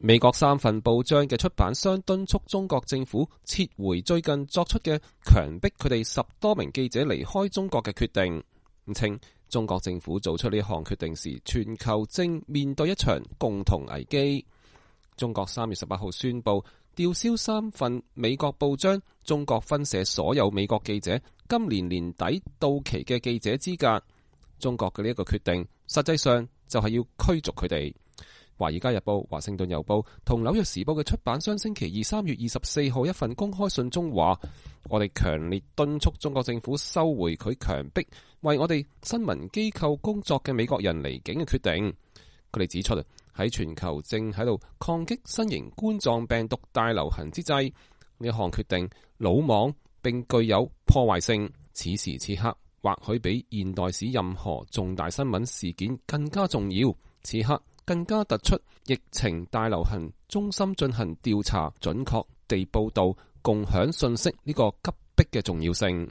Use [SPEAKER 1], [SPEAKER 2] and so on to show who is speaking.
[SPEAKER 1] 美國3份報章嘅出版商敦促中國政府撤回最近作出嘅強迫佢哋10多名記者離開中國嘅決定，稱中國政府做出呢項決定時，全球正面對一場共同危機。中國3月18號宣布吊銷3份美國報章中國分社所有美國記者今年年底到期嘅記者資格。中國嘅呢一個決定，實際上就係要驅逐佢哋。華爾街日報、華盛頓郵報同紐約時報嘅出版商星期二3月24號一份公開信中話：我哋強烈敦促中國政府收回佢強迫為我哋新聞機構工作嘅美國人離境嘅決定。佢哋指出，喺全球正喺度抗擊新型冠狀病毒大流行之際，呢項決定魯莽並具有破壞性。此時此刻，或許比現代史任何重大新聞事件更加重要。此刻更加突出疫情大流行中心進行調查、準確地報道、共享信息呢個急迫嘅重要性。